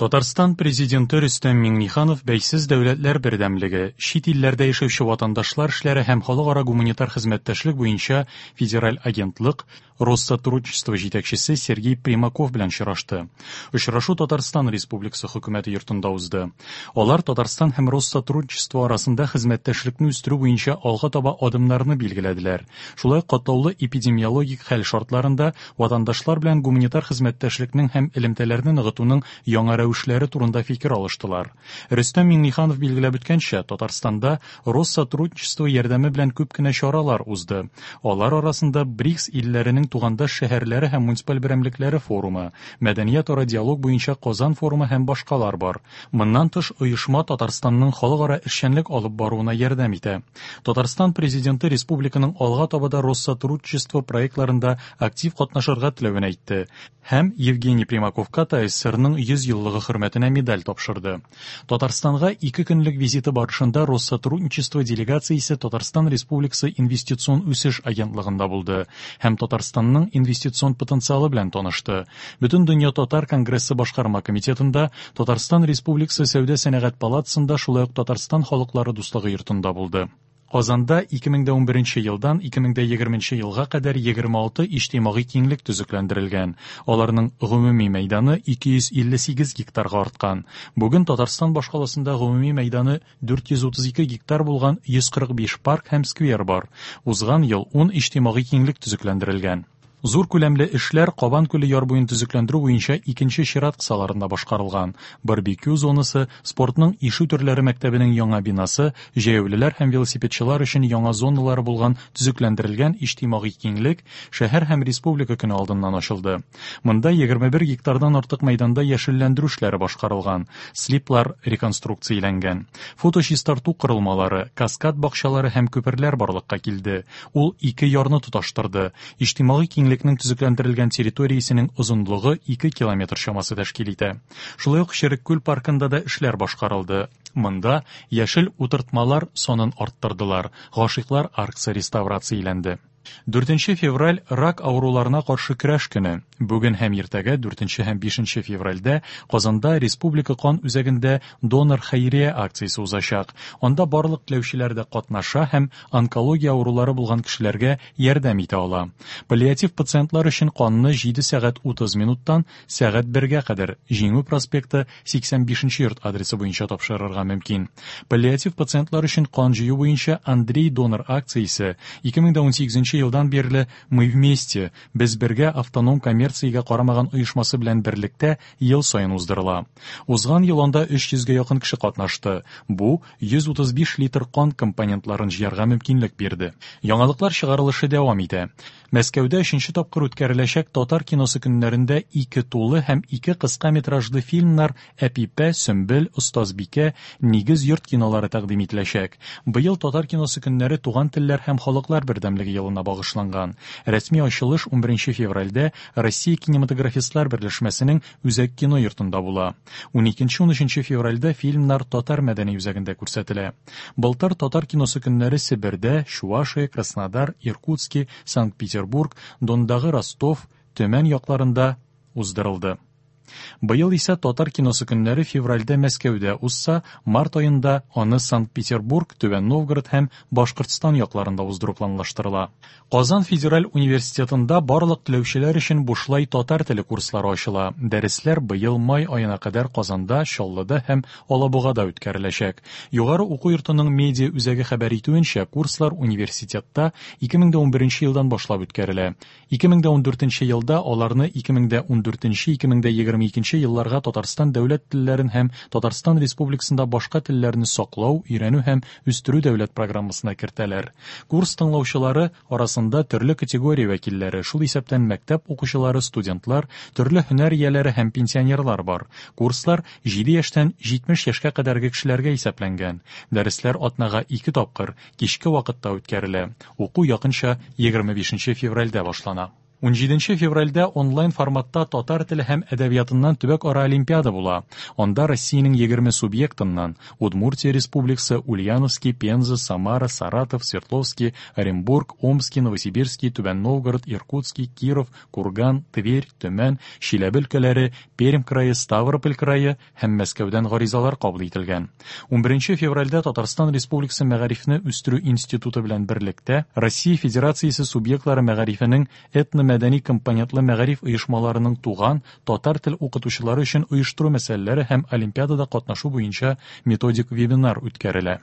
Татарстан Президенты Рөстәм Миңнеханов Бәйсез дәүләтләр бердәмлеге, чит илләрдә яшәүче ватандашлар эшләре һәм халыкара гуманитар хезмәттәшлек буенча федераль агентлык Россотрудничество җитәкчесе Сергей Примаков белән очрашты. Очрашу Татарстан Республикасы Хөкүмәте йортында узды. Алар Татарстан һәм Россотрудничество арасында хезмәттәшлекне үстерү буенча алга таба адымнарны билгеләделәр. Шулай ук катлаулы эпидемиологик хәл шартларында ватандашлар белән гуманитар хезмәттәшлекнең һәм элемтәләрне ныгытуның яңа рәвешләре турында фикер алыштылар. Рөстәм Миңнеханов билгеләп үткәнчә, Татарстанда Россотрудничество ярдәме белән күп кенә чаралар узды. Алар арасында БРИКС илләренең тугандаш шәһәрләре һәм муниципаль берәмлекләре форумы, мәдәниятара диалог буенча Казан форумы һәм башкалар бар. Моннан тыш, оешма Татарстанның халыкара эшчәнлек алып баруына ярдәм итә. Татарстан Президенты республиканың алга таба да Россотрудничество проектларында актив катнашырга теләвен әйтте һәм Евгений Примаковка ТАССРның 100 еллыгы хөрмәтенә медаль тапшырды. Татарстанга ике көнлек визиты барышында Россотрудничество делегациясе Татарстан Республикасы Инвестицион үсеш агентлыгында булды һәм Татарстанның инвестицион потенциалы белән танышты. Бөтендөнья татар конгрессы башкарма комитетында, Татарстан Республикасы Сәүдә-сәнәгать палатасында, шулай ук Татарстан халыклары дуслыгы йортында булды. Казанда 2011 елдан 2020 елга кадәр 26 иҗтимагый киңлек төзекләндерелгән. Аларның гомуми мәйданы 258 гектарга арткан. Бүген Татарстан башкаласында гомуми мәйданы 432 гектар булган 145 парк һәм сквер бар. Узган ел 10 иҗтимагый киңлек төзекләндерелгән. Зур күләмле эшләр Кабан күле яр буен төзекләндерү буенча икенче чират кысаларында башкарылган. Барбекю зонасы, спортның ишү төрләре мәктәбенең яңа бинасы, җәяүлеләр һәм велосипедчылар өчен яңа зоналары булган төзекләндерелгән иҗтимагый киңлек шәһәр һәм республика көне алдыннан ачылды. Монда 21 гектардан артык мәйданда яшелләндерү эшләре башкарылган, слиплар реконструкцияләнгән. Фоточистарту корылмалары, каскад бакчалары һәм күперләр барлыкка килде. Ул ике ярны тоташтырды. Иҗтимагый киңлекнең төзекләндерелгән территориясенең озынлыгы 2 километр чамасы тәшкил итә. Шулай ук Череккүл паркында да эшләр башкарылды. Монда яшел утыртмалар санын арттырдылар, гашыйклар аркасы реставрацияләнде. 4 февраль рак авыруларына каршы көрәш көне. Бүген һәм иртәгә 4 һәм 5 февральдә Казанда Республика кан үзәгендә донор хәйрия акциясе узачак. Анда барлык теләүчеләр дә катнаша һәм онкология авырулары булган кешеләргә ярдәм итә ала. Паллиатив пациентлар өчен канны 7 сәгать 30 минуттан сәгать 1гә кадәр Җиңү проспекты 85 нче йорт адресы буенча тапшырырга мөмкин. Паллиатив пациентлар өчен кан җыю буенча Андрей донор акциясе 2018 елдан бирле Мы вместе, Без бергә автоном коммерциягә карамаган оешмасы белән берлектә ел саен уздырыла. Узган ел анда 300 гә якын кеше катнашты. Бу 135 литр кан компонентларын җыярга мөмкинлек бирде. Яңалыклар чыгарылышы дәвам итә. Мәскәүдә өченче тапкыр үткәреләчәк Татар киносы көннәрендә ике тулы һәм ике кыска метражлы фильмнар Әпипә, Сөмбел, Остазбикә, Нигез йорт кинолары тәкъдим ителәчәк. Быел Татар киносы көннәре Туган телләр һәм халыклар бердәмлеге елына багышланган. Рәсми ачылыш унберенче февральдә Россия кинематографистлар берләшмәсенең Үзәк кино йортында була. Уникенче-унөченче февральдә фильмнар Татар мәдәни үзәгендә күрсәтелә. Былтыр Татар киносы көннәре Себердә, Чувашия, Краснодар, Иркутски, Санкт-Петербург, Дондагы Ростов, Төмән якларында уздырылды. Быел исә Татар киносы көннәре февральдә Мәскәүдә узса, март аенда аны Санкт-Петербург, Түбән Новгород һәм Башкортстан якларында уздыру планлаштырыла. Казан федераль университетында барлык теләүчеләр өчен бушлай татар теле курслары ачыла. Дәресләр быел май аена кадәр Казанда, Чаллыда һәм Алабугада үткәреләчәк. Югары уку йортының медиа үзәге хәбәр итүенчә, курслар университетта 2011 елдан башлап үткәрелә. 2014 елда аларны 2014-2022 елларга Татарстан дәүләт телләрен һәм Татарстан Республикасында башка телләрне саклау, өйрәнү һәм үстерү дәүләт программасына кертәләр. Курс тыңлаучылары арасында төрле категория вәкилләре, шул исәптән мәктәп укучылары, студентлар, төрле һөнәр ияләре һәм пенсионерлар бар. Курслар җиде яшьтән 70 яшькә кадәрге кешеләргә исәпләнгән. Дәресләр атнага ике тапкыр, кичке вакытта үткәрелә. Уку якынча 25 февральдә башлана. 17 февральдә онлайн форматта татар теле һәм әдәбиятыннан төбәк-ара олимпиада була. Анда Россиянең 20 субъектыннан Удмуртия Республикасы, Ульяновский, Пенза, Самара, Саратов, Свердловский, Оренбург, Омский, Новосибирский, Түбән Новгород, Иркутский, Киров, Курган, Тверь, Төмән, Чиләбе өлкәләре, Пермь крае, Ставрополь крае һәм Мәскәүдән гаризалар кабул ителгән. 11 февральдә Татарстан Республикасы Мәгарифне үстерү институты белән берлектә Россия Федерациясе субъектлары мәгарифенең этномәдәни компонентлы мәгариф оешмаларының туган татар тел укытучылары өчен оештыру мәсьәләләре һәм олимпиадада катнашу буенча методик вебинар үткәрелә.